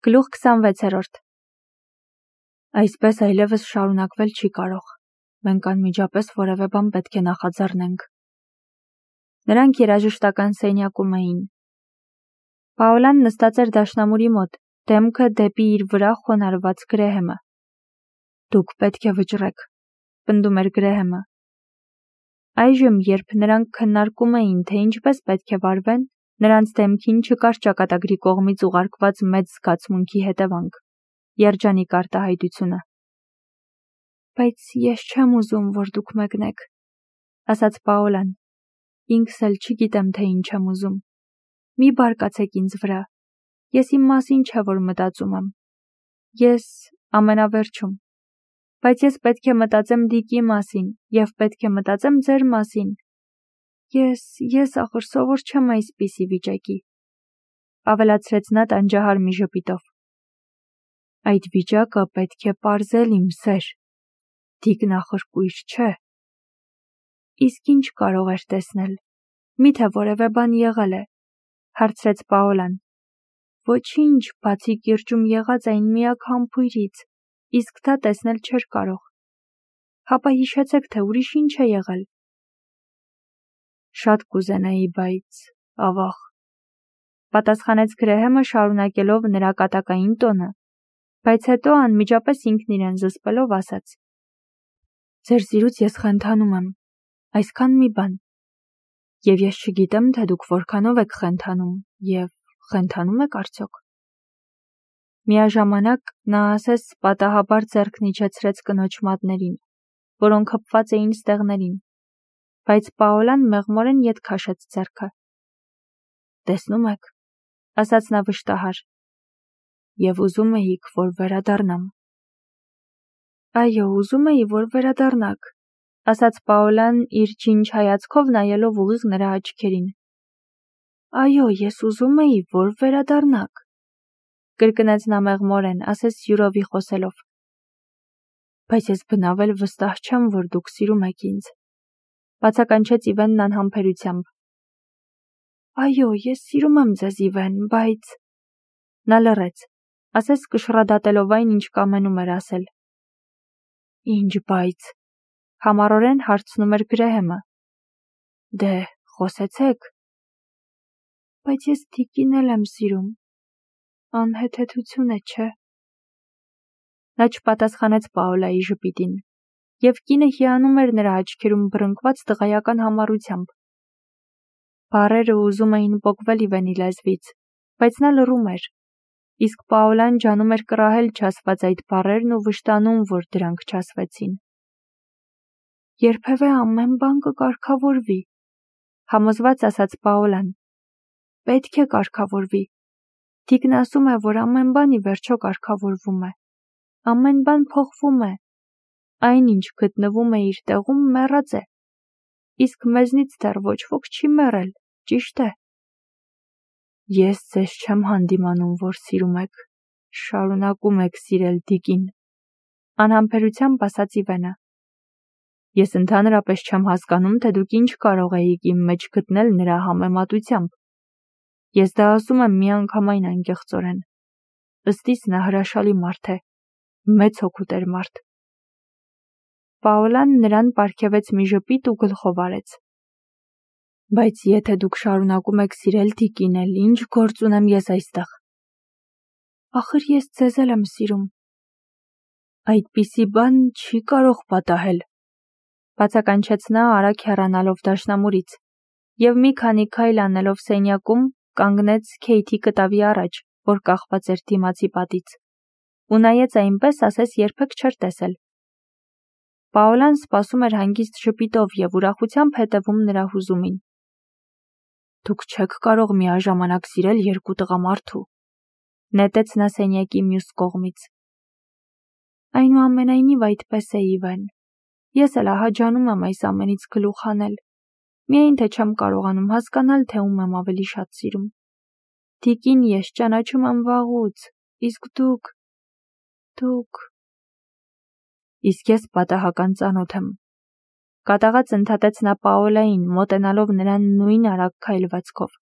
Գլուխ 26-րդ Այսպես այլևս շարունակվել չի կարող, մենք անմիջապես որևէ բան պետք է նախաձեռնենք։ Նրանք երաժշտական սենյակում էին։ Պաոլան նստած էր դաշնամուրի մոտ, դեմքը դեպի իր վրա խոնարհված Գրեհեմը։ Դուք պետք է վճռեք, պնդում էր Գրեհեմը։ Այժմ, երբ նրանք քննարկում էին, թե ինչպես պետք է վարվեն, նրանց դեմքին չկար ճակատագրի կողմից ուղարկված մեծ զգացմունքի հետևանք, երջանիկ արտահայտությունը։ Բայց ես չեմ ուզում, որ դուք մեկնեք, ասաց Պաոլան։ Ինքս էլ չգիտեմ, թե ինչ եմ ուզում։ Մի բարկացեք ինձ վրա։ Ես իմ մասին չէ, որ մտածում եմ։ Ես ամենավերջում։ Բայց ես պետք է մտածեմ Դիկի մասին և պետք է մտածեմ ձեր մասին։ Ես ախր սովոր չեմ այսպիսի վիճակի, ավելացրեց նա տանջահար մի ժպիտով։ Այդ վիճակը պետք է պարզել, իմ սեր։ Դիկն ախր կույր չէ։ Իսկ ինչ կարող էր տեսնել։ Միթե որևէ բան եղել է, հարցրեց Պաոլան։ Ոչինչ, բացի կիրճում եղած այն միակ համբույրից, իսկ դա տեսնել չէր կարող։ Հապա հիշեցեք, թե ուրիշ ինչ է եղել։ Շատ կուզենայի, բայց ավաղ, պատասխանեց Գրեհեմը շարունակելով նրա կատակային տոնը, բայց հետո անմիջապես ինքն իրեն զսպելով ասաց. Ձեր սիրուց ես խենթանում եմ, այսքան մի բան, և ես չգիտեմ, թե դուք որքանով եք խենթանում, և խենթանում եք արդյոք։ Միաժամանակ նա ասես պատահաբար ձեռքն իջեցրեց կնոջ մատներին, որոնք հպված էին ստեղներին, բայց Պաոլան մեղմորեն ետ քաշեց ձեռքը։ Տեսնում եք, ասաց նա վշտահար, և ուզում էիք, որ վերադառնամ։ Այո, ուզում էի, որ վերադառնաք, ասաց Պաոլան իր ջինջ հայացքով նայելով ուղիղ նրա աչքերին։ Այո, ես ուզում էի, որ վերադառնաք, կրկնեց նա մեղմորեն, ասես յուրովի խոսելով։ Բայց ես բնավ էլ վստահ չեմ, որ դուք սիրում եք ինձ, բացականչեց Իվենն անհամբերությամբ։ Այո, ես սիրում եմ ձեզ, Իվեն, բայց… Նա լռեց, ասես կշռադատելով այն, ինչ կամենում էր ասել։ Ինչ բայց… Համառորեն հարցնում էր Գրեհեմը։ Դե, խոսեցեք։ Բայց ես Դիկին էլ եմ սիրում։ Անհեթեթություն է, չէ։ Նա չպատասխանեց Պաոլայի ժպիտին, և կինը հիանում էր նրա աչքերում բռնկված տղայական համառությամբ։ Բառերը ուզում էին պոկվել Իվենի լեզվից, բայց նա լռում էր, իսկ Պաոլան ջանում էր կռահել չասված այդ բառերն ու վշտանում, որ դրանք չասվեցին։ Երբևէ ամեն բան կկարգավորվի, համոզված ասաց Պաոլան։ Պետք է կարգավորվի։ Դիկն ասում է, որ ամեն բան ի վերջո կարգավորվում է։ Ամեն բան փոխվում է։ Այն, ինչ գտնվում է իր տեղում, մեռած է։ Իսկ մեզնից դեռ ոչ ոք չի մեռել, ճիշտ է։ Ես ձեզ չեմ հանդիմանում, որ սիրում եք, շարունակում եք սիրել Դիկին, անհամբերությամբ ասաց Իվենը։ Ես ընդհանրապես չեմ հասկանում, թե դուք ինչ կարող էիք իմ մեջ գտնել նրա համեմատությամբ։ Ես դա ասում եմ միանգամայն անկեղծորեն։ Ըստ իս նա հրաշալի մարդ է, մեծ հոգուտեր մարդ։ Պաոլան նրան պարգևեց մի ժպիտ ու գլխով արեց։ Բայց եթե դուք շարունակում եք սիրել Դիկին, էլ ինչ գործ ունեմ ես այստեղ։ Ախր ես ձեզ էլ եմ սիրում։ Այդպիսի բան չի կարող պատահել, բացականչեց նա արագ հեռանալով դաշնամուրից, և մի քանի քայլ անելով սենյակում, կանգնեց Քեյթի կտավի առաջ, որ կախված էր դիմացի պատից, ու նայեց այնպես, ասես երբեք չէր տեսել։ Պաոլան սպասում էր հանգիստ ժպիտով և ուրախությամբ հետևում նրա հուզումին։ Դուք չեք կարող միաժամանակ սիրել երկու տղամարդու, նետեց նա սենյակի մյուս կողմից։ Այնուամենայնիվ այդպես է, Իվեն։ Ես էլ ահաջանում եմ այս ամենից գլուխ հանել, միայն թե չեմ կարողանում հասկանալ, թե ում եմ ավելի շատ սիրում։ Դիկին ես ճանաչում եմ վաղուց, իսկ դուք… Իսկ ես պատահական ծանոթ եմ, կատաղած ընդհատեց նա Պաոլային, մոտենալով նրան նույն արագ քայլվածքով։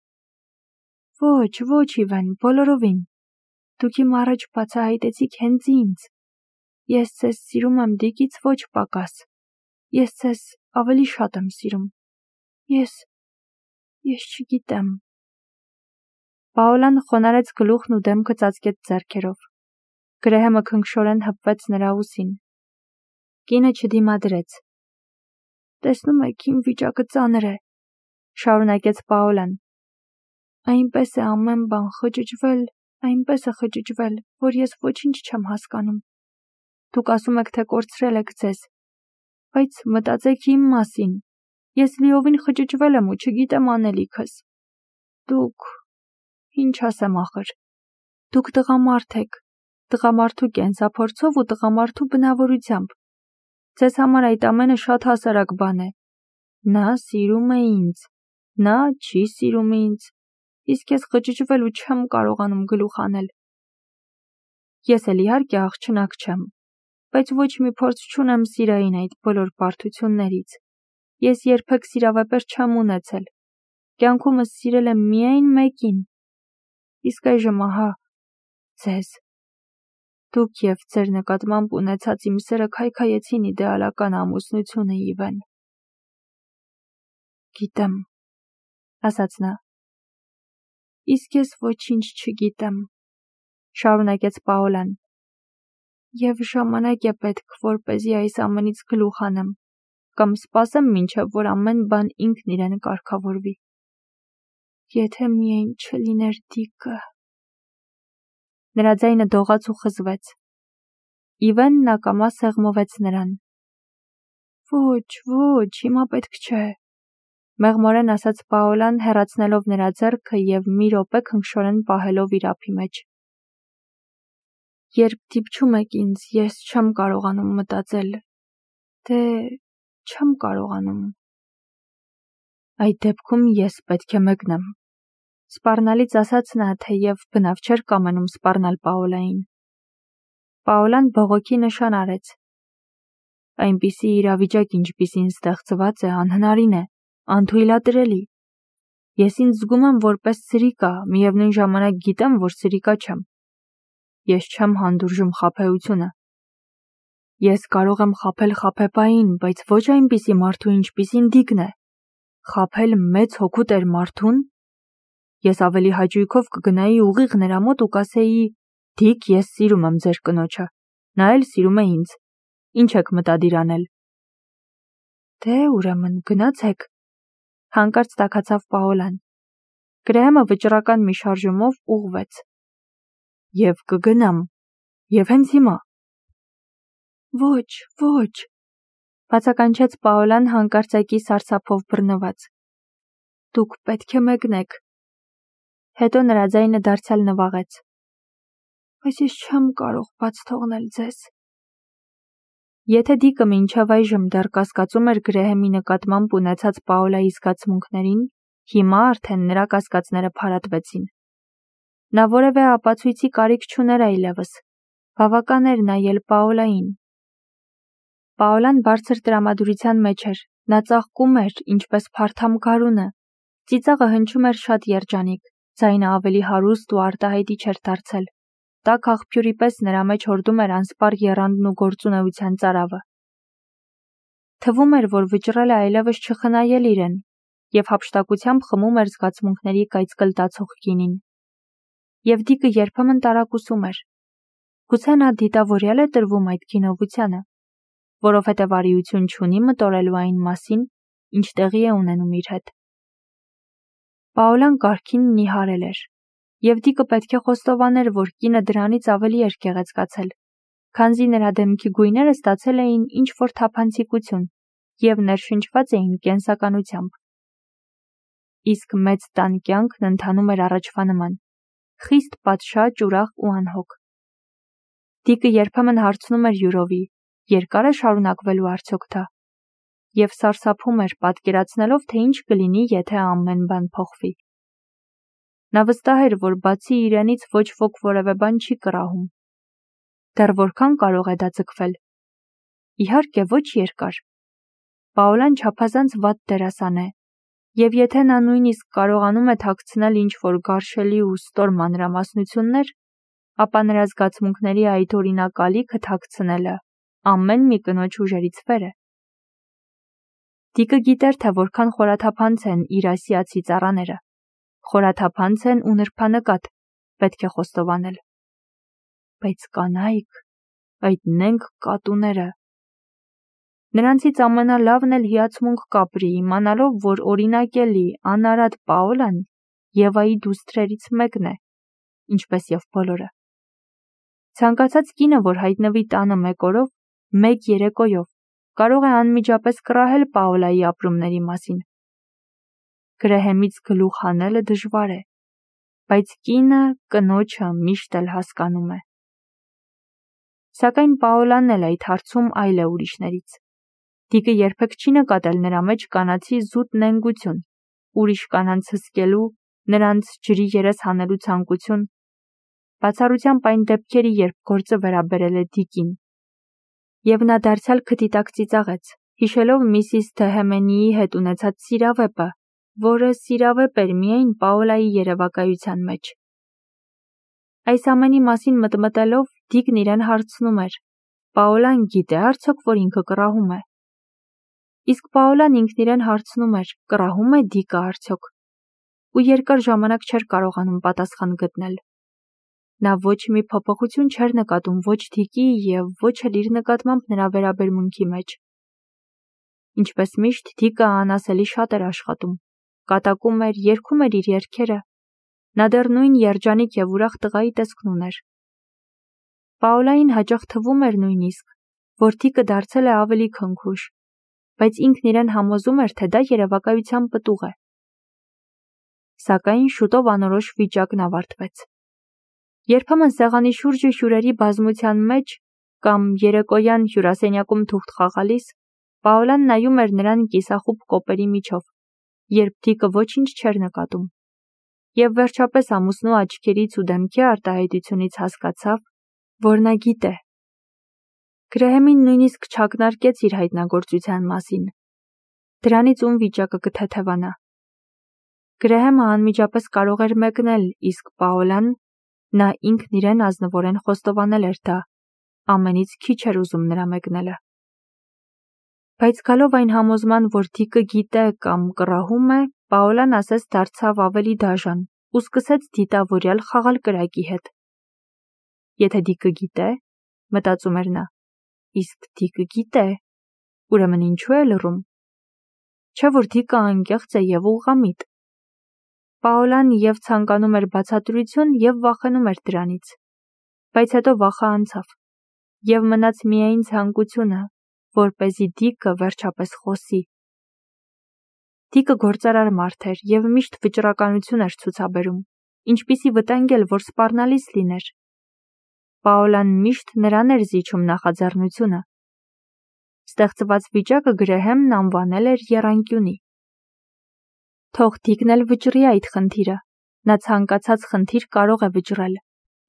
Ոչ, Իվեն, բոլորովին։ Դուք իմ առաջ բացահայտեցիք հենց ինձ։ Ես ձեզ սիրում եմ դիկից ոչ պակաս։ Ես ձեզ ավելի շատ եմ սիրում։ Ես չգիտեմ։ Պաոլան խոնարհեց գլուխն ու դեմքը ծածկեց ձեռքերով։ Գրեհեմը քնքշորեն հպվեց նրա ուսին։ Կինը չդիմադրեց։ Տեսնում եք, իմ վիճակը ծանր է, շարունակեց Պաոլան։ Այնպես է ամեն բան խճճվել, որ ես ոչինչ չեմ հասկանում։ Դուք ասում եք, թե կորցրել եք ձեզ, բայց մտածեք իմ մասին։ Ես լիովին խճճվել եմ ու չգիտեմ անելիքս։ Դուք, ինչ ասեմ ախր, դուք տղամարդ եք, տղամարդու կենսափորձով ու տղամարդու բնավորությամբ։ Ձեզ համար այդ ամենը շատ հասարակ բան է։ Նա սիրում է ինձ, նա չի սիրում ինձ, իսկ ես խճճվել ու չեմ կարողանում գլուխ անել։ Ես էլ իհարկե աղջնակ չեմ, բայց ոչ մի փորձ չունեմ սիրային այդ բոլոր բարդություններից։ Ես երբեք սիրավեպեր չեմ ունեցել։ Կյանքումս սիրել եմ միայն մեկին։ Իսկ այժմ ահա ձեզ։ Դուք և ձեր նկատմամբ ունեցած իմ սերը քայքայեցին իդեալական ամուսնությունը Իվեն։ Գիտեմ, ասաց նա։ Իսկ ես ոչինչ չգիտեմ, շարունակեց Պաոլան։ Եվ ժամանակ է պետք, որպեսզի այս ամենից գլուխ անեմ, կամ սպասեմ մինչև որ ամեն բան ինքն իրեն կարգավորվի։ Եթե միայն չլիներ Դիկը։ Նրա ձայնը դողաց ու խզվեց։ Իվենն ակամա սեղմովեց նրան։ Ոչ, հիմա պետք չէ, մեղմորեն ասաց Պաոլան, հեռացնելով նրա ձեռքը և մի րոպե քնքշորեն պահելով իր ափի մեջ։ Երբ դիպչում եք ինձ, ես չեմ կարողանում մտածել, չեմ կարողանում։ Այդ դեպքում ես պետք է մեկնեմ։ Սպառնալից ասաց նա, թեև բնավ չէր կամենում սպառնալ Պաոլային։ Պաոլան բողոքի նշան արեց։ Այնպիսի իրավիճակ, ինչպիսին ստեղծված է, անհնարին է, անթույլատրելի։ Ես ինձ զգում եմ որպես սրիկա, միևնույն ժամանակ գիտեմ, որ սրիկա չեմ։ Ես չեմ հանդուրժում խաբեությունը։ Ես կարող եմ խաբել խաբեբային, բայց ոչ այնպիսի մարդու, ինչպիսին Դիկն է։ Խաբել մեծ հոգու տեր մարդուն։ Ես ավելի հաճույքով կգնայի ուղիղ նրա մոտ ու կասեի. Դիկ, ես սիրում եմ ձեր կնոջը, նա էլ սիրում է ինձ։ Ինչ եք մտադիր անել։ Ուրեմն գնացեք, հանկարծ տաքացավ Պաոլան։ Գրեհեմը վճռական մի շարժումով ուղղվեց։ Եվ կգնամ, և հենց հիմա։ Ոչ, բացականչեց Պաոլան հանկարծակի սարսափով բռնված։ Դուք պետք է մեկնեք։ Հետո նրա ձայնը դարձյալ նվաղեց։ Բայց ես չեմ կարող բաց թողնել ձեզ։ Եթե Դիկը մինչև այժմ դեռ կասկածում էր Գրեհեմի նկատմամբ ունեցած Պաոլայի զգացմունքներին, հիմա արդեն նրա կասկածները փարատվեցին։ Նա որևէ ապացույցի կարիք չուներ այլևս։ Բավական էր նայել Պաոլային։ Պաոլան բարձր տրամադրության մեջ էր, նա ծաղկում էր, ինչպես փարթամ գարունը։ Ծիծաղը հնչում էր շատ երջանիկ, ձայնը ավելի հարուստ ու արտահայտիչ էր դարձել։ Տաք աղբյուրի պես նրա մեջ հորդում էր անսպառ եռանդն ու գործունեության ծարավը։ Թվում էր, որ վճռել է այլևս չխնայել իրեն, և հափշտակությամբ խմում էր զգացմունքների կայծկլտացող գինին։ Եվ Դիկը երբեմն տարակուսում էր։ Գուցե նա դիտավորյալ է տրվում այդ գինովությանը, որովհետև արիություն չունի մտորելու այն մասին, ինչ տեղի է ունենում իր հետ։ Պաոլան կարգին նիհարել էր, և Դիկը պետք է խոստովաներ, որ կինը դրանից ավելի էր գեղեցկացել, քանզի նրա դեմքի գույները ստացել էին ինչ-որ թափանցիկություն և ներշնչված էին կենսականությամբ։ Իսկ մեծ տան կյանքն ընթանում էր առաջվա նման, խիստ պատշաճ, ուրախ ու անհոգ։ Դիկը երբեմն հարցնում էր յուրովի, երկա՞ր է շարունակվելու արդյոք դա, և սարսափում էր, պատկերացնելով, թե ինչ կլինի, եթե ամեն բան փոխվի։ Նա վստահ էր, որ բացի իրենից ոչ ոք որևէ բան չի կռահում։ Դեռ որքան կարող է դա ձգվել։ Իհարկե, ոչ երկար։ Պաոլան չափազանց վատ դերասան է, և եթե նա նույնիսկ կարողանում է թաքցնել ինչ-որ գարշելի ու ստոր մանրամասնություններ, ապա նրա զգացմունքների այդ օրինակալիքը թաքցնելը ամեն մի կնոջ ուժերից վեր է։ Դիկը գիտեր, թե որքան խորաթափանց են իր ասիացի ծառաները, խորաթափանց են ու նրբանկատ, պետք է խոստովանել։ Բայց կանայք, այդ նենք կատուները։ Նրանցից ամենալավն էլ հիացմունք կապրի, իմանալով, որ օրինակելի, անարատ Պաոլան Եվայի դուստրերից մեկն է, ինչպես և բոլորը։ Ցանկացած կինը, որ հայտնվի տանը մեկ օրով, մեկ երեկոյով, կարող է անմիջապես կռահել Պաոլայի ապրումների մասին։ Գրեհեմից գլուխ հանելը դժվար է, բայց կինը կնոջը միշտ էլ հասկանում է։ Սակայն Պաոլանն էլ այդ հարցում այլ է ուրիշներից։ Դիկը երբեք չի նկատել նրա մեջ կանացի զուտ նենգություն, ուրիշ կանանց հսկելու, նրանց ջրի երես հանելու ցանկություն, բացառությամբ այն դեպքերի, երբ գործը վերաբերել է Դիկին։ Եվ նա դարձյալ քթի տակ ծիծաղեց, հիշելով Միսիս Դեհեմենիի հետ ունեցած սիրավեպը, որը սիրավեպ էր միայն Պաոլայի երևակայության մեջ։ Այս ամենի մասին մտմտելով, Դիկն իրեն հարցնում էր. Պաոլան գիտե արդյոք, որ ինքը կռահում է։ Իսկ Պաոլան ինքն իրեն հարցնում էր, կռահում է Դիկը արդյոք, ու երկար ժամանակ չէր կարողանում պատասխան գտնել։ Նա ոչ մի փոփոխություն չէր նկատում ոչ Դիկի և ոչ էլ իր նկատմամբ նրա վերաբերմունքի մեջ։ Ինչպես միշտ, Դիկը անասելի շատ էր աշխատում, կատակում էր, երգում էր իր երգերը։ Նա դեռ նույն երջանիկ և ուրախ տղայի տեսքն ուներ։ Պաոլային հաճախ թվում էր նույնիսկ, որ Դիկը դարձել է ավելի քնքուշ, բայց ինքն իրեն համոզում էր, թե դա երևակայության պտուղ է։ Սակայն շուտով անորոշ վիճակն ավարտվեց։ Երբեմն սեղանի շուրջը հյուրերի բազմության մեջ կամ երեկոյան հյուրասենյակում թուղթ խաղալիս, Պաոլան նայում էր նրան կիսախուբ կոպերի միջով, երբ Դիկը ոչինչ չէր նկատում, և վերջապես ամուսնու աչքերից ու դեմքի արտահայտությունից հասկացավ, որ նա գիտե։ Գրեհեմին նույնիսկ չակնարկեց իր հայտնագործության մասին։ Դրանից ում վիճակը կթեթևանա։ Գրեհեմը անմիջապես կարող էր մեկնել, իսկ Պաոլան, նա ինքն իրեն ազնվորեն խոստովանել էր դա, ամենից քիչ էր ուզում նրա մեկնելը։ Բայց գալով այն համոզման, որ Դիկը գիտե կամ կռահում է, Պաոլան ասես դարձավ ավելի դաժան ու սկսեց դիտավորյալ խաղալ կրակի հետ։ Եթե Դիկը գիտե, մտածում էր նա, իսկ Դիկը գիտե, ուրեմն ինչու է լռում։ Չէ՞ որ Դիկը անկեղծ է և ուղղամիտ։ Պաոլան և ցանկանում էր բացատրություն և վախենում էր դրանից, բայց հետո վախը անցավ, և մնաց միայն ցանկությունը, որպեսզի Դիկը վերջապես խոսի։ Դիկը գործարար մարդ էր և միշտ վճռականություն էր ցուցաբերում, ինչպիսի վտանգ էլ որ սպառնալից լիներ։ Պաոլան միշտ նրան էր զիջում նախաձեռնությունը։ Ստեղծված վիճակը Գրեհեմն անվանել էր եռանկյունի։ Թող Դիկն էլ վճռի այդ խնդիրը, նա ցանկացած խնդիր կարող է վճռել,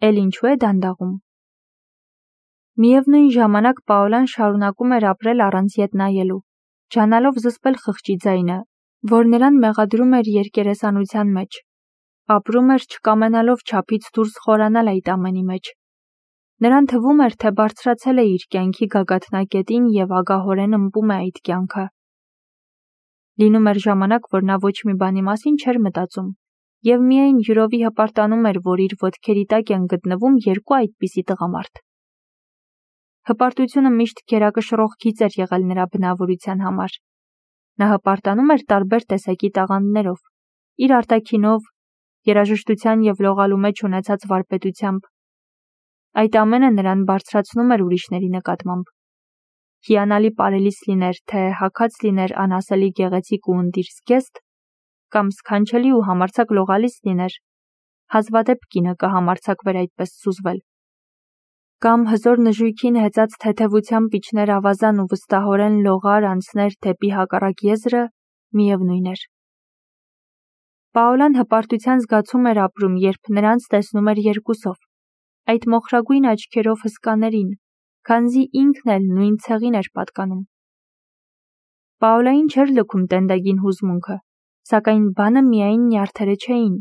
էլ ինչու է դանդաղում։ Միևնույն ժամանակ Պաոլան շարունակում էր ապրել առանց ետ նայելու, ջանալով զսպել խղճի ձայնը, որ նրան մեղադրում էր երկերեսանության մեջ, ապրում էր չկամենալով չափից դուրս խորանալ այդ ամենի մեջ։ Նրան թվում էր, թե բարձրացել է իր կյանքի գագաթնակետին և ագահորեն ըմբում է այդ կյանքը։ Լինում էր ժամանակ, որ նա ոչ մի բանի մասին չէր մտածում, և միայն յուրովի հպարտանում էր, որ իր ոտքերի տակ են գտնվում երկու այդպիսի տղամարդ։ Հպարտությունը միշտ գերակշռող գիծ էր եղել նրա բնավորության համար։ Նա հպարտանում էր տարբեր տեսակի տաղանդներով, իր արտաքինով, երաժշտության և լողալու մեջ ունեցած վարպետությամբ։ Այդ ամենը նրան բարձրացնում էր ուրիշների նկատմամբ։ Հիանալի պարելիս լիներ, թե հագած լիներ անասելի գեղեցիկ ու ընտիր զգեստ, կամ սքանչելի ու համարձակ լողալիս լիներ, հազվադեպ կինը կհամարձակվեր այդպես սուզվել։ Կամ հզոր նժույգին հեծած թեթևությամբ իջներ ավազան ու վստահորեն լողար անցներ դեպի հակառակ եզրը, միևնույն էր։ Պաոլան հպարտության զգացում էր ապրում, երբ նրանց տեսնում էր երկուսով, այդ մոխրագույն աչքերով հսկաներին, քանզի ինքն էլ նույն ցեղին էր պատկանում։ Պաոլային չէր լքում տենդագին հուզմունքը, սակայն բանը միայն նյարդերը չէին։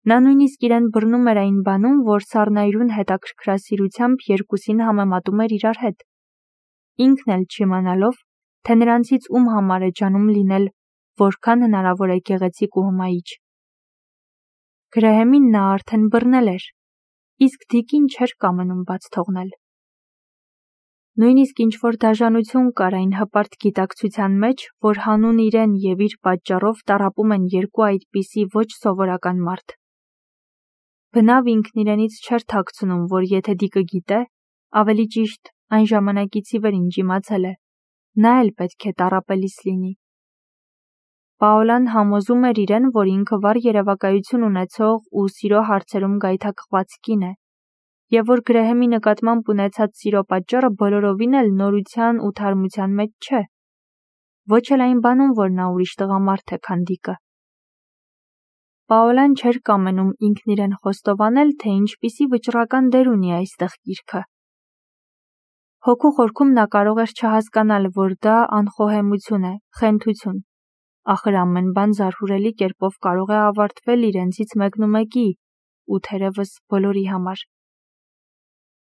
Նա նույնիսկ իրեն բռնում էր այն բանում, որ սառնայրուն հետաքրքրասիրությամբ երկուսին համեմատում էր իրար հետ, ինքն էլ չիմանալով, թե նրանցից ում համար է ջանում լինել որքան հնարավոր է գեղեցիկ ու հմայիչ։ Գրեհեմին նա արդեն բռնել էր, իսկ Դիկին չէր կամենում բաց թողնել։ Նույնիսկ ինչ-որ դաժանություն կար այն հպարտ գիտակցության մեջ, որ հանուն իրեն և իր պատճառով տառապում են երկու այդպիսի ոչ սովորական մարդ։ Բնավ ինքն իրենից չէր թաքցնում, որ եթե Դիկը գիտե, ավելի ճիշտ այն ժամանակից ի վեր ինչ իմացել է, նա էլ պետք է տառապելիս լինի։ Պաոլան համոզում էր իրեն, որ ինքը վառ երևակայություն ունեցող ու սիրո հարցերում գայթակղված կին է, և որ Գրեհեմի նկատմամբ ունեցած սիրո պատճառը բոլորովին էլ նորության ու թարմության մեջ չէ, ոչ էլ այն բանում, որ նա ուրիշ տղամարդ է, քան Դիկը։ Պաոլան չէր կամենում ինքն իրեն խոստովանել, թե ինչպիսի վճռական դեր ունի այստեղ գիրքը։ Հոգու խորքում նա կարող էր չհասկանալ, որ դա անխոհեմություն է, խենթություն, ախր ամեն բան զարհուրելի կերպով կարող է ավարտվել իրենցից մեկնումեկի ու թերևս բոլորի համար։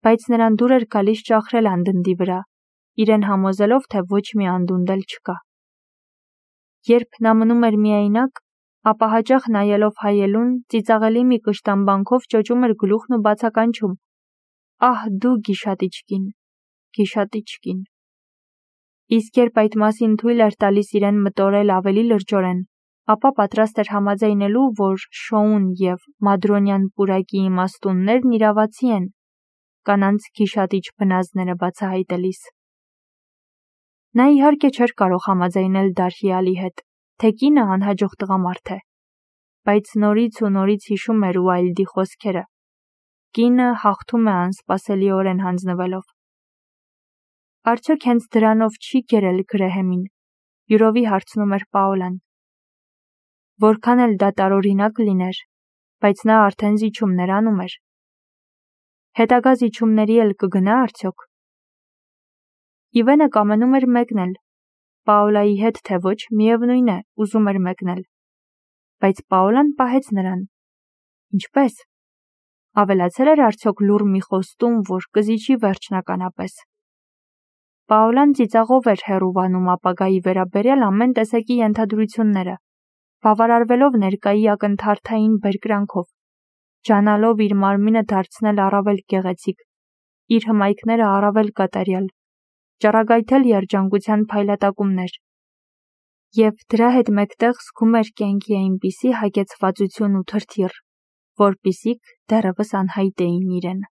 Բայց նրան դուր էր գալիս ճախրել անդնդի վրա, իրեն համոզելով, թե ոչ մի անդունդ էլ չկա։ Երբ նա մնում էր միայնակ, ապա հաճախ նայելով հայելուն, ծիծաղելի մի կշտամբանքով ճոճում էր գլուխն ու բացականչում. «Ահ, դու գիշատիչ կին, գիշատիչ կին»։ Իսկ երբ այդ մասին թույլ էր տալիս իրեն մտորել ավելի լրջորեն, ապա պատրաստ էր համաձայնելու, որ շոուն և մադրոնյան պուրակի իմաստուններն իրավացի են, կանանց գիշատիչ բնազդները բացահայտելիս։ Նա իհարկե չէր կարող համաձայնել Դարհիալի հետ, թե կինը անհաջող տղամարդ է, բայց նորից ու նորից հիշում էր Ուայլդի խոսքերը. կինը հաղթում է անսպասելիորեն հանձնվելով։ Արդյոք հենց դրանով չի գերել Գրեհեմին, յուրովի հարցնում էր Պաոլան։ Որքան էլ դա տարօրինակ լիներ, բայց նա արդեն զիջումներ անում էր։ Հետագա զիջումների էլ կգնա արդյոք։ Իվենը կամենում էր մեկնել, Պաոլայի հետ թե ոչ, միևնույն է, ուզում էր մեկնել։ Բայց Պաոլան պահեց նրան։ Ինչպե՞ս։ Ավելացել էր արդյոք լուռ մի խոստում, որ կզիջի վերջնականապես։ Պաոլան ծիծաղով էր հեռուվանում ապագայի վերաբերյալ ամեն տեսակի ենթադրությունները, բավարարվելով ներկայի ակնթարթային բերկրանքով, ջանալով իր մարմինը դարձնել առավել գեղեցիկ, իր հմայքները առավել կատարյալ, ճառագայթել երջանկության փայլատակումներ, և դրա հետ մեկտեղ զգում էր կյանքի այնպիսի հագեցվածություն ու թրթիռ, որպիսիք դեռևս անհայտ էին իրեն։